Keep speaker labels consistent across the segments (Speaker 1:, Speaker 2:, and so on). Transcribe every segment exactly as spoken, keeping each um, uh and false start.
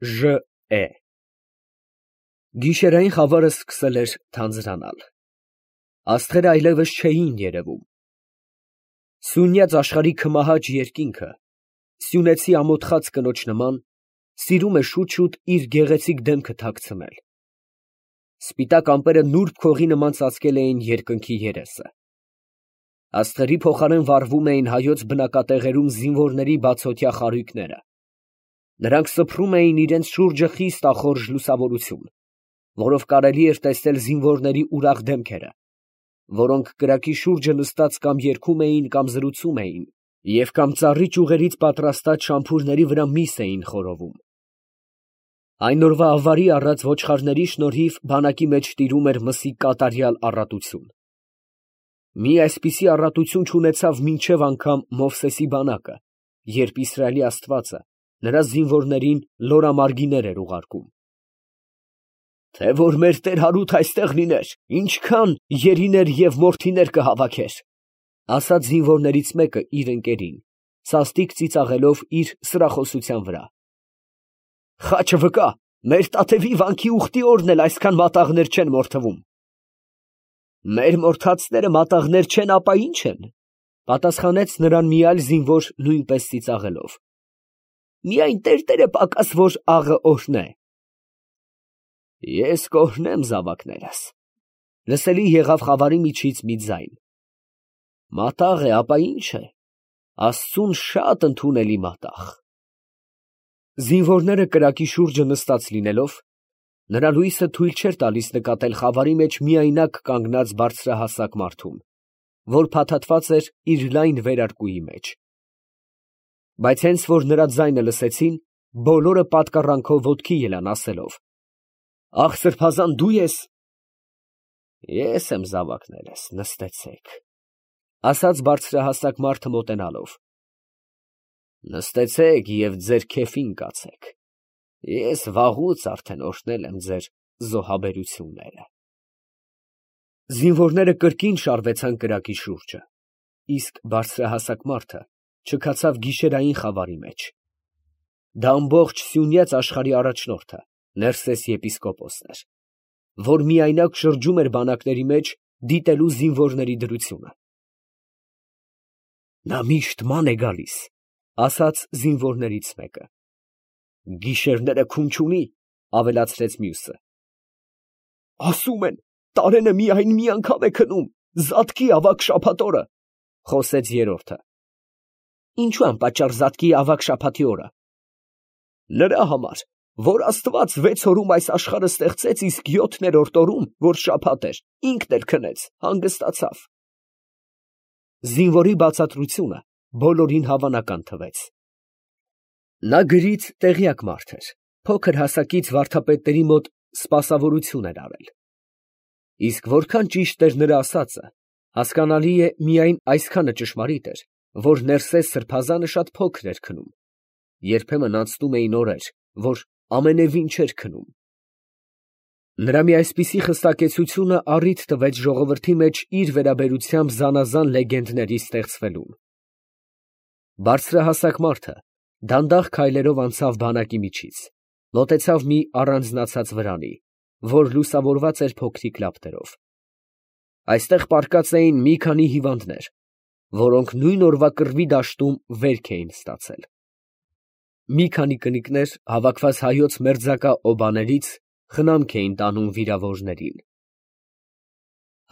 Speaker 1: Ժ Է Գիշերային խավարը սկսել էր թանձրանալ, աստղերը այլևս չէին երևում, սյունյաց աշխարհի քմահաճ երկինքը, սյունեցի ամոթխած կնոջ նման, սիրում է շուտ֊շուտ իր գեղեցիկ դեմքը թաքցնել, սպիտակ ամպերը նուրբ քողի նման ծածկել էին երկնքի երեսը, աստղերի փոխարեն վառվում էին հայոց բնակատեղերում զինվորների բացօթյա խարույկները, նրանք սփռում էին իրենց շուրջը խիստ ախորժ լուսավորություն, որով կարելի էր տեսնել զինվորների ուրախ դեմքերը, որոնք կրակի շուրջը նստած կամ երգում էին կամ զրուցում էին և կամ ծառի ճյուղերից պատրաստած շամփուրների վրա միս էին խորովում։ Այն օրվա ավարի առած ոչխարների շնորհիվ բանակի մեջ տիրում էր մսի կատարյալ առատություն։ Մի այսպիսի առատություն չունեցավ մինչև անգամ Մովսեսի բանակը, երբ Իսրայելի Աստվածը նրա զինվորներին լորամարգիներ էր ուղարկում։ Թե որ մեր տեր Հարութ այստեղ լիներ, ինչքան երիներ և մորթիներ կհավաքեր, ասաց զինվորներից մեկը իր ընկերին, սաստիկ ծիծաղելով իր սրախոսության վրա։ Խաչը վկա, մեր Տաթևի վանքի ուխտի օրն էլ այսքան մատաղներ չեն մորթվում։ Մեր մորթածները մատաղներ չեն, ապա ի՞նչ են, պատասխանեց նրան մի այլ զինվոր նույնպես ծիծաղելով։ Միայն տերտերը պակաս, որ աղը օրհնե։ Ես կօրհնեմ զավակներս, լսելի եղավ խավարի միջից մի ձայն։ Մատաղ է, ապա ի՞նչ է, Աստծուն շատ ընդունելի մատաղ։ Զինվորները կրակի շուրջը նստած լինելով, նրա լույսը թույլ չէր տալիս նկատել խավարի մեջ միայնակ կանգնած բարձրահասակ մարդուն, որ փաթաթված էր իր լայն վերարկուի մեջ։ Բայց հենց որ նրա ձայնը լսեցին, բոլորը պատկառանքով ոտքի ելան, ասելով. Ախ, սրբազան, դու ես։ Ես եմ, զավակներս, նստեցեք, ասաց բարձրահասակ մարդը մոտենալով։ Նստեցեք և ձեր քեֆին կացեք, ես վաղուց արդեն օրհնել եմ ձեր զոհաբերությունները։ Զինվորները կրկին շարվեցան կրակի շուրջը, իսկ բարձրահասակ մարդը չքացավ գիշերային խավարի մեջ։ Դա ամբողջ սյունյաց աշխարհի առաջնորդը, Ներսես եպիսկոպոսն էր, որ միայնակ շրջում էր բանակների մեջ, դիտելու զինվորների դրությունը։ Նա միշտ ման է գալիս, ասաց զինվորներից մեկը։ Գիշերները քուն չունի, ավելացրեց մյուսը։ Ասում են, տարենը միայն մի անգամ է քնում, Զատկի ավագ շաբաթ օրը, խոսեց երրորդը։ Ինչու անպատճառ Զատկի ավագ շաբաթի օրը։ Նրա համար, որ Աստված վեց օրում այս աշխարհը ստեղծեց, իսկ յոթներորդ օրում, որ շաբաթ էր, ինքն էլ քնեց, հանգստացավ։ Զինվորի բացատրությունը բոլորին հավանական թվեց։ Նա գրից տեղյակ մարդ էր, փոքր հասակից վարդապետների մոտ սպասավորություն էր արել։ Իսկ որքան ճիշտ էր նրա ասածը, հասկանալի է միայն այսքանը ճշմարիտ էր, որ Ներսես սրբազանը շատ փոքր էր քնում, երբեմն անցնում էին օրեր, որ ամենևին չէր քնում։ Նրա մի այսպիսի խստակեցությունը առիթ տվեց ժողովրդի մեջ իր վերաբերությամբ զանազան լեգենդների ստեղծվելուն։ Բարձրահասակ մարդը դանդաղ քայլերով անցավ բանակի միջից, մոտեցավ մի առանձնացած վրանի, որ լուսավորված էր փոքրիկ լապտերով։ Այստեղ պառկած էին մի քանի հիվանդներ, որոնք նույն օրվա կռվի դաշտում վերք էին ստացել։ Մի քանի կնիկներ, հավաքված հայոց մերձակա օբաներից, խնամք էին տանում վիրավորներին։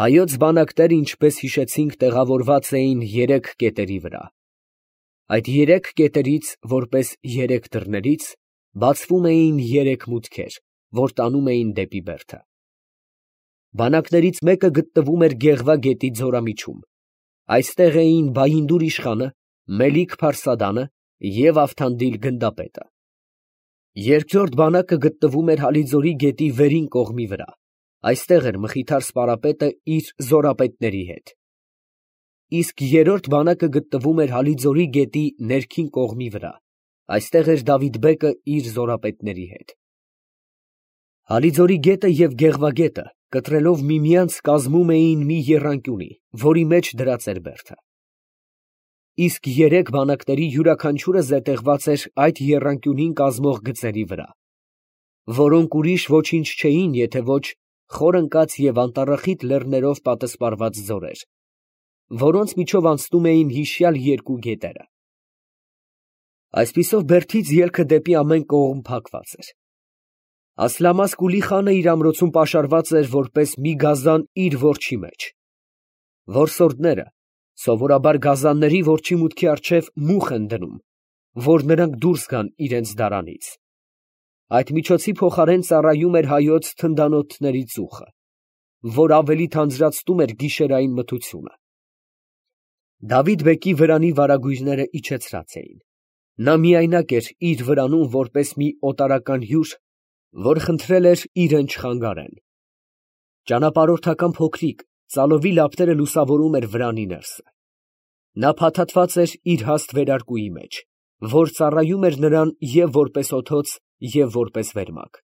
Speaker 1: Հայոց բանակները, ինչպես հիշեցինք, տեղավորված էին երեք կետերի վրա։ Այդ երեք կետերից, որպես երեք դռներից, բացվում էին երեք մուտքեր, որ տանում էին դեպի բերդը։ Բանակներից մեկը գտնվում էր Գեղվա գետի ձորամիջում։ Այստեղ էին Բայինդուր իշխանը, Մելիք Փարսադանը և Ավթանդիլ գնդապետը։ Երկրորդ բանակը գտնվում էր Հալիձորի գետի վերին կողմի վրա։ Այստեղ էր Մխիթար սպարապետը իր զորապետների հետ։ Իսկ երրորդ բանակը գտնվում էր Հալիձորի գետի ներքին կողմի վրա։ Այստեղ էր Դավիթ բեկը իր զորապետների հետ։ Հալիձորի գետը և Գեղվա գետը կտրելով միմյանց կազմում էին մի եռանկյունի, որի մեջ դրած էր բերդը։ Իսկ երեք բանակների յուրաքանչյուրը զետեղված էր այդ եռանկյունին կազմող գծերի վրա, որոնք ուրիշ ոչինչ չէին, եթե ոչ խոր ընկած և անտառախիտ լեռներով պատսպարված ձորեր, որոնց միջով անցնում էին հիշյալ երկու գետերը։ Այսպիսով Բերդից ելքը դեպի ամեն կողմ փակված էր։ Ասլամազկուլի խանը իր ամրոցում պաշարված էր որպես մի գազան իր որջի մեջ։ Որսորդները սովորաբար գազանների որջի մուտքի առջև մուխ են դնում, որ նրանք դուրս գան իրենց դարանից։ Այդ միջոցի փոխարեն ծառայում էր հայոց թնդանոթների ծուխը, որ ավելի թանձրացնում էր գիշերային մթությունը։ Դավիթ֊բեկի վրանի վարագույրները իջեցրած էին։ Նա միայնակ էր իր վրանում որպես մի օտարական հյուր, որ խնդրել էր իրեն չխանգարեն։ Ճանապարհորդական փոքրիկ ծալովի լապտերը լուսավորում էր վրանի ներսը։ Նա փաթաթված էր իր հաստ վերարկուի մեջ, որ ծառայում էր նրան և որպես օդոց, և որպես վերմակ։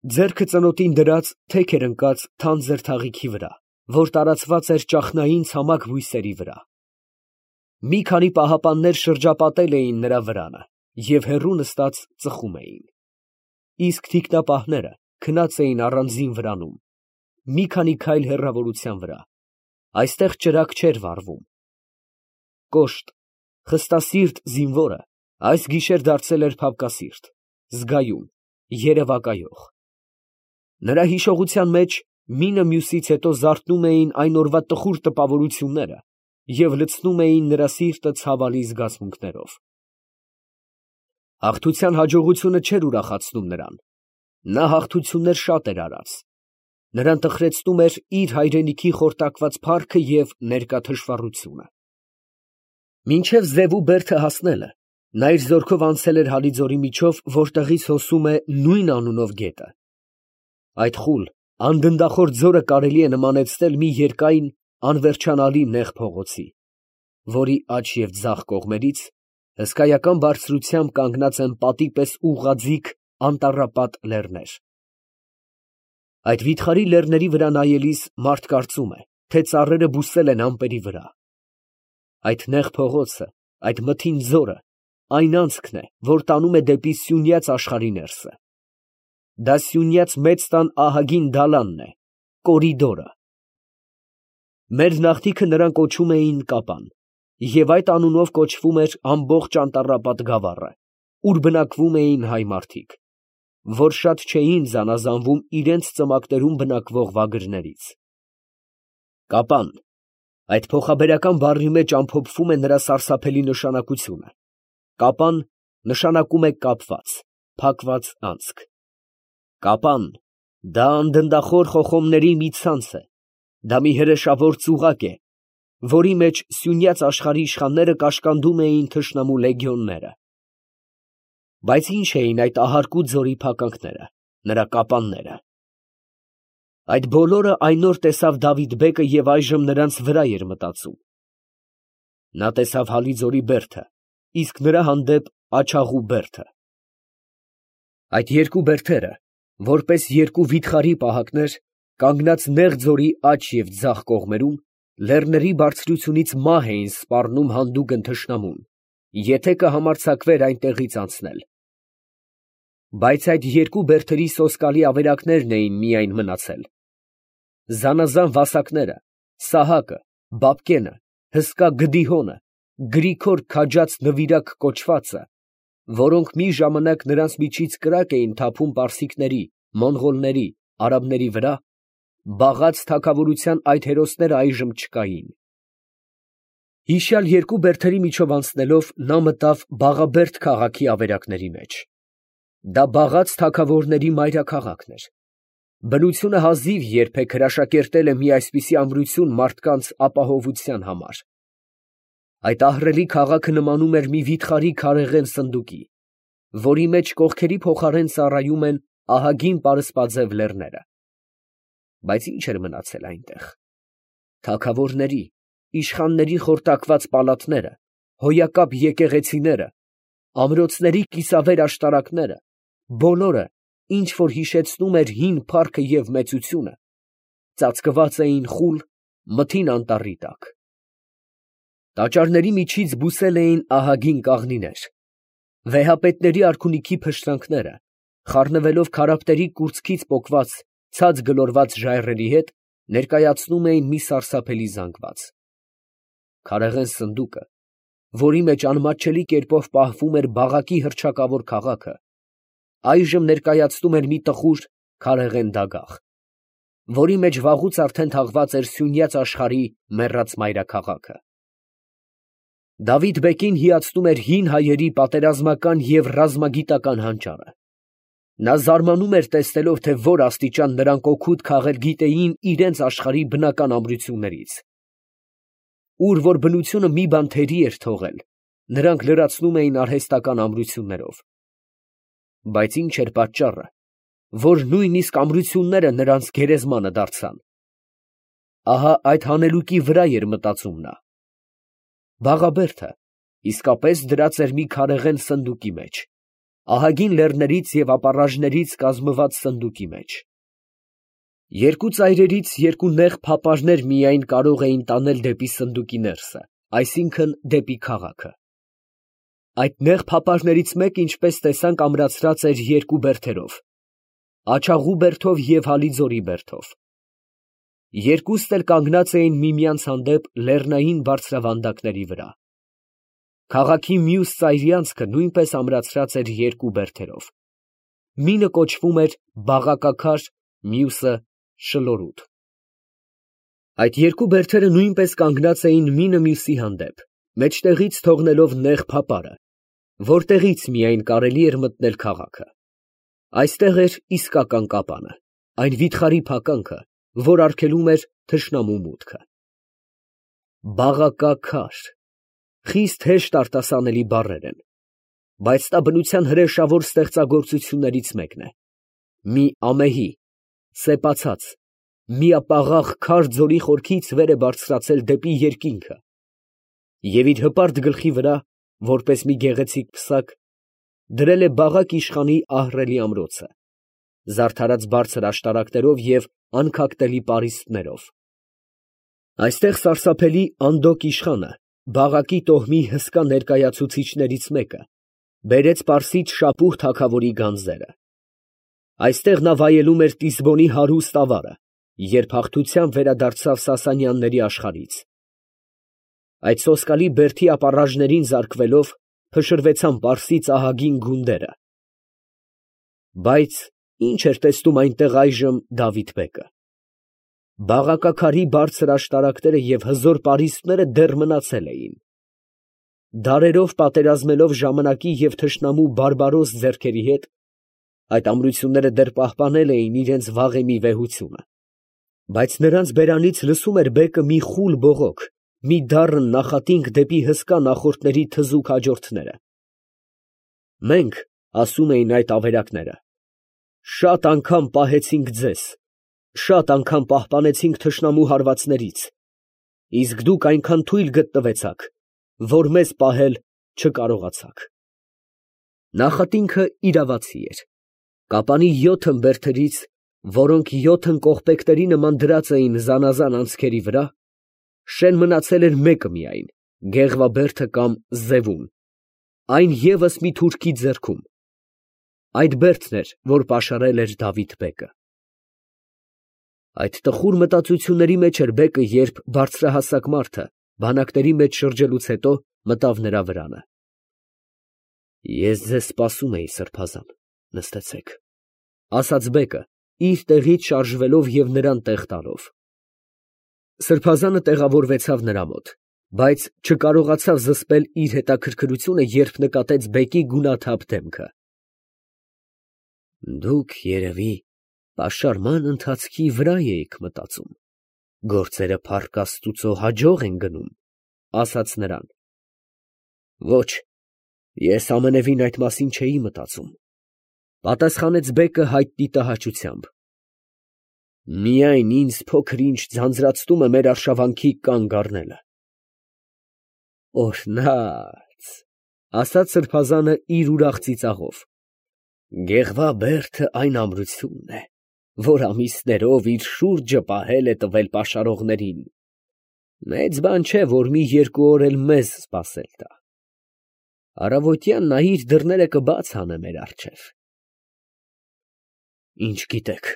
Speaker 1: Ձեռքը ծնոտին դրած թեք էր ընկած թանձր թաղիքի վրա, որ տարածված էր ճախնային ցամաք բույսերի վրա։ Մի քանի պահապաններ շրջապատել էին նրա վրանը և հեռու նստած ծխում էին։ Իսկ թիկնապահները քնած էին առանձին վրանում, մի քանի քայլ հեռավորության վրա, այստեղ ճրագ չէր վառվում։ Կոշտ, խստասիրտ զինվորը այս գիշեր դարձել էր փափկասիրտ, զգայուն, երևակայող։ Նրա հիշողության մեջ մինը մյուսից հետո զարթնում էին այն օրվա տխուր տպավորությունները և լցնում էին նրա սիրտը ցավալի զգացմունքներով։ Հաղթության հաջողությունը չէր ուրախացնում նրան։ Նա հաղթություններ շատ էր արած։ Նրան տխրեցնում էր իր հայրենիքի խորտակված փառքը և ներկա թշվառությունը։ Մինչև Զևու բերդը հասնելը նա իր զորքով անցել էր Հալիձորի միջով, որտեղից հոսում է նույն անունով գետը։ Այդ խուլ, անդնդախոր ձորը կարելի է նմանեցնել մի երկայն, անվերջանալի նեղ փողոցի, որի աջ և ձախ կողմերից հսկայական բարձրությամբ կանգնած են պատի պես ուղղաձիգ անտառապատ լեռներ։ Այդ վիթխարի լեռների վրա նայելիս մարդ կարծում է, թե ծառերը բուսել են ամպերի վրա։ Այդ նեղ փողոցը, այդ մթին ձորը այն անցքն է, որ տանում է դեպի սյունյաց աշխարհի ներսը։ Դա սյունյաց մեծ տան ահագին դալանն է, կորիդորը։ Մեր նախնիքը նրան կոչում էին Կապան, և այդ անունով կոչվում էր ամբողջ անտառապատ գավառը, ուր բնակվում էին հայ մարդիկ, որ շատ չէին զանազանվում իրենց ծնկներում բնակվող վագրերից։ Կապան, այդ փոխաբերական բառի մեջ ամփոփվում է նրա սարսափելի նշանակությունը։ Կապան նշանակում է կապված, փակված անցք։ Կապան, դա անդնդախոր խոխոմների մի ցանց է, դա մի հրեշավոր ծուղակ է, որի մեջ սյունյաց աշխարհի իշխանները կաշկանդում էին թշնամու լեգիոնները։ Բայց ի՞նչ էին այդ ահարկու ձորի փականքները, նրա կապանները։ Այդ բոլորը այն օր տեսավ Դավիթ֊բեկը և այժմ նրանց վրա էր մտածում։ Նա տեսավ Հալիձորի բերդը, իսկ նրա հանդեպ աջաղու բերդը։ Այդ երկու բերդերը, որպես երկու վիթխարի պահակներ, կանգնած նեղ ձորի աջ և ձախ կողմերում, լեռների բարձրությունից մահ էին սպառնում հանդուգն թշնամուն, եթե կհամարձակվեր այնտեղից անցնել։ Բայց այդ երկու բերդերի սոսկալի ավերակներն էին միայն մնացել։ Զանազան վասակները, Սահակը, Բաբկենը, հսկա Գդիհոնը, Գրիգոր քաջած նվիրակ կոչվածը, որոնք մի ժամանակ նրանց միջից կրակ էին թափում պարսիկների, մոնղոլների, արաբների վրա, բաղաց թագավորության այդ հերոսները այժմ չկային։ Հիշյալ երկու բերդերի միջով անցնելով նա մտավ Բաղաբերդ քաղաքի ավերակների մեջ։ Դա բաղաց թագավորների մայրաքաղաքն էր։ Բնությունը հազիվ երբեք հրաշակերտել է մի այսպիսի ամրություն մարդկանց ապահովության համար։ Այդ ահռելի քաղաքը նմանում էր մի վիթխարի քարեղեն սնդուկի, որի մեջ կողքերի փոխարեն ծառայում են ահագին պարսպաձև լեռները։ Բայց ի՞նչ էր մնացել այնտեղ։ Թագավորների, իշխանների խորտակված պալատները, հոյակապ եկեղեցիները, ամրոցների կիսավեր աշտարակները, բոլորը, ինչ որ հիշեցնում էր հին փառքը և մեծությունը, ծածկված էին խուլ, մթին անտառի տակ։ Տաճարների միջից բուսել էին ահագին կաղնիներ, վեհապետների արքունիքի փշրանքները, խառնվելով քարափտերի կուրծքից պոկված ցած գլորված ժայռերի հետ, ներկայացնում էին մի սարսափելի զանգված։ Քարեղեն սնդուկը, որի մեջ անմատչելի կերպով պահվում էր բաղակի հռչակավոր քաղաքը, այժմ ներկայացնում էր մի տխուր քարեղեն դագաղ, որի մեջ վաղուց արդեն թաղված էր սյունյաց աշխարհի մեռած մայրաքաղաքը։ Դավիթ֊բեկին հիացնում էր հին հայերի պատերազմական և ռազմագիտական հանճարը։ Նա զարմանում էր տեսնելով, թե որ աստիճան նրանք օգուտ քաղել գիտեին իրենց աշխարհի բնական ամրություններից։ Ուր որ բնությունը մի բան թերի էր թողել, նրանք լրացնում էին արհեստական ամրություններով։ Բայց ի՞նչ էր պատճառը, որ նույնիսկ ամրությունները նրանց գերեզմանը դարձան։ Ահա այդ հանելուկի վրա էր մտածում նա։ Բաղաբերդը իսկապես դրած էր մի քարեղեն սնդուկի մեջ, ահագին լեռներից և ապառաժներից կազմված սնդուկի մեջ։ Երկու ծայրերից երկու նեղ փապարներ միայն կարող էին տանել դեպի սնդուկի ներսը, այսինքն դեպի քաղաքը։ Այդ նեղ փապարներից մեկը, ինչպես տեսանք, ամրացրած էր երկու բերդերով, աջաղու բերդով և հալիձորի բերդով։ Երկուստ էլ կանգնած էին միմյանց հանդեպ լեռնային բարձրավանդակների վրա։ Քաղաքի մյուս ծայրի անցքը նույնպես ամրացրած էր երկու բերդերով։ Մինը կոչվում էր Բաղակաքար, մյուսը Շլորուտ։ Այդ երկու բերդերը նույնպես կանգնած էին մինը մյուսի հանդեպ, մեջտեղից թողնելով նեղ փապարը, որտեղից միայն կարելի էր մտնել քաղաքը։ Այստեղ էր իսկական կապանը, այն վիթխարի փականքը, որ արգելում էր թշնամու մուտքը։ Բաղակաքար, խիստ հեշտ արտասանելի բառեր են, բայց դա բնության հրեշավոր ստեղծագործություններից մեկն է։ Մի ամեհի, սեպացած, միապաղաղ քար ձորի խորքից վեր է բարձրացել դեպի երկինքը և իր հպարտ գլխի վրա, որպես մի գեղեցիկ պսակ, դրել է Բաղաք իշխանի ահռելի ամրոցը, զարդարած բարձր աշտարակներով և անքակտելի պարիսպներով։ Այստեղ սարսափելի Անդոկ իշխանը, Բաղակի տոհմի հսկա ներկայացուցիչներից մեկը, բերեց Պարսից Շապուհ թագավորի գանձերը։ Այստեղ նա վայելում էր Տիսբոնի հարուստ ավարը, երբ հաղթությամբ վերադարձավ Սասանյանների աշխարհից։ Այդ սոսկալի բերդի ապառաժներին զարկվելով, փշրվեցան Պարսից ահագին գունդերը։ Բայց ի՞նչ էր տեսնում այնտեղ այժմ Դավիթ֊բեկը։ Բաղակաքարի բարձր աշտարակները և հզոր պարիսպները դեռ մնացել էին։ Դարերով պատերազմելով ժամանակի և թշնամու բարբարոս ձեռքերի հետ, այդ ամրությունները դեռ պահպանել էին իրենց վաղեմի վեհությունը, բայց նրանց բերանից լսում էր բեկը մի խուլ բողոք, մի դառն նախատինք դեպի հսկա նախորդների թզուկ հաջորդները։ Մենք, ասում էին այդ ավերակները, շատ անգամ պահեցինք ձեզ, շատ անգամ պահպանեցինք թշնամու հարվածներից, իսկ դուք այնքան թույլ գտնվեցաք, որ մեզ պահել չկարողացաք։ Նախատինքը իրավացի էր։ Կապանի յոթն բերդերից, որոնք յոթն կողպեքների նման դրած էին զանազան անցքերի վրա, շեն մնացել էր մեկը միայն, Գեղվաբերդը կամ Զևուն, այն ևս մի թուրքի ձեռքում։ Այդ բերդն էր, որ պաշարել էր Դավիթ֊բեկը։ Այդ տխուր մտածությունների մեջ էր բեկը, երբ բարձրահասակ մարդը, բանակների մեջ շրջելուց հետո, մտավ նրա վրանը։ Ես ձեզ սպասում էի, սրբազան, նստեցեք, ֊ ասաց բեկը, իր տեղից շարժվելով և նրան տեղ տալով։ Սրբազանը տեղավորվեցավ նրա մոտ, բայց չկարողացավ զսպել իր հետաքրքրությունը, երբ նկատեց բեկի գունաթափ դեմքը։ Դուք, երևի, պաշարման ընթացքի վրա էիք մտածում, գործերը փառք Աստուծո հաջող են գնում, ֊ ասաց նրան։ Ոչ, ես ամենևին այդ մասին չէի մտածում, ֊ պատասխանեց բեկը հայտնի տհաճությամբ։ Միայն ինձ փոքր ինչ ձանձրացնում է մեր արշավանքի կանգ առնելը։ Օրհնած, ֊ ասաց սրբազանը իր ուրախ ծիծաղով, Գեղվաբերդը այն ամրությունն է, որ ամիսներով իր շուրջը պահել է տվել պաշարողներին։ Մեծ բան չէ, որ մի երկու օր էլ մեզ սպասել տա։ Առավոտյան նա իր դռները կբաց հանե մեր առջև։ Ինչ գիտեք։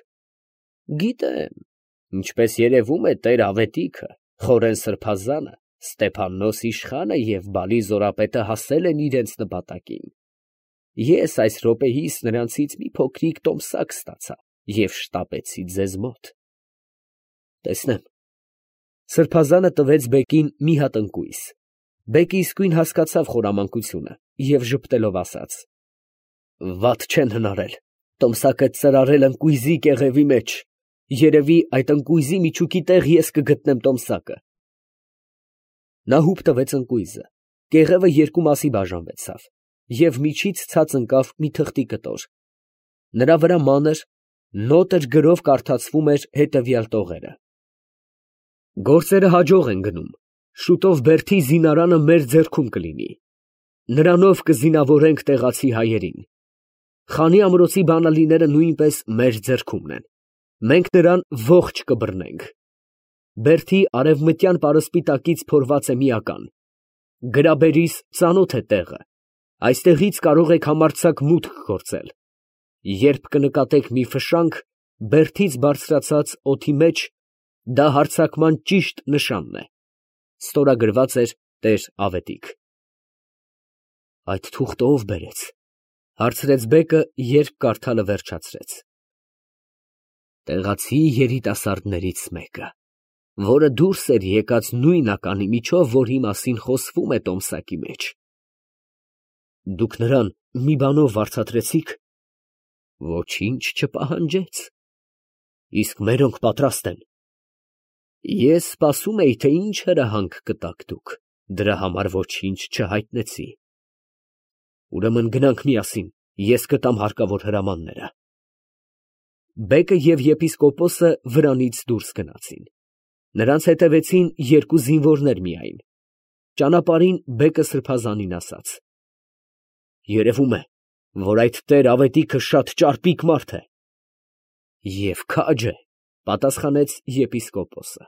Speaker 1: Գիտեմ, ինչպես երևում է, տեր Ավետիքը, Խորեն սրբազանը, Ստեփաննոս իշխանը և Բալի զորապետը հասել են իրենց նպատակին։ Ես այս րոպեիս նրանցից մի փոքրիկ տոմսակ ստացա և շտապեցի ձեզ մոտ։ Տեսնեմ։ Սրբազանը տվեց բեկին մի հատ ընկույզ։ Բեկը իսկույն հասկացավ խորամանկությունը և ժպտելով ասաց. «Վատ չեն հնարել, տոմսակը ծրարել ընկույզի կեղևի մեջ, երևի այդ ընկույզի միջուկի տեղ ես կգտնեմ տոմսակը»։ Նա հուպ տվեց ընկույզը, կեղևը երկու մասի բաժանվեցավ, և միջից ցած ընկավ մի թղթի կտոր։ Նրա վրա մանր, նոտրգ գրով կարդացվում էր հետևյալ տողերը. «Գործերը հաջող են գնում, շուտով Բերդի զինարանը մեր ձեռքում կլինի, նրանով կզինավորենք տեղացի հայերին, Խանի ամրոցի բանալիները նույնպես մեր ձեռքումն են, մենք նրան ողջ կբռնենք, Բերդի արևմտյան պարսպի տակից փորված է մի ական, գրաբերիս ծանոթ է տեղը, այստեղից կարող եք համարձակ մուտք գործել, երբ կնկատեք մի ֆշանք Բերդից բարձրացած օդի մեջ, դա հարձակման ճիշտ նշանն է։ Ստորագրված էր տեր Ավետիք»։ Այդ թուղթը ո՞վ բերեց, հարցրեց բեկը, երբ կարդալը վերջացրեց։ Տեղացի երիտասարդներից մեկը, որը դուրս էր եկած նույն ականի միջով, որի մասին խոսվում է տոմսակի մեջ։ Դուք նրան մի բանով վարձատրեցի՞ք։ Ոչինչ չպահանջեց։ Իսկ մերոնք պատրաստ են։ Ես սպասում էի, թե ինչ հրահանգ կտաք դուք, դրա համար ոչինչ չհայտնեցի։ Ուրեմն գնանք միասին, ես կտամ հարկավոր հրամանները։ Բեկը և եպիսկոպոսը վրանից դուրս գնացին։ Նրանց հետևեցին երկու զինվորներ միայն։ Ճանապարհին բեկը սրբազանին ասաց. «Երևում է, որ այդ տեր Ավետիքը շատ ճարպիկ մարդ է»։ Եվ քաջ է, պատասխանեց եպիսկոպոսը։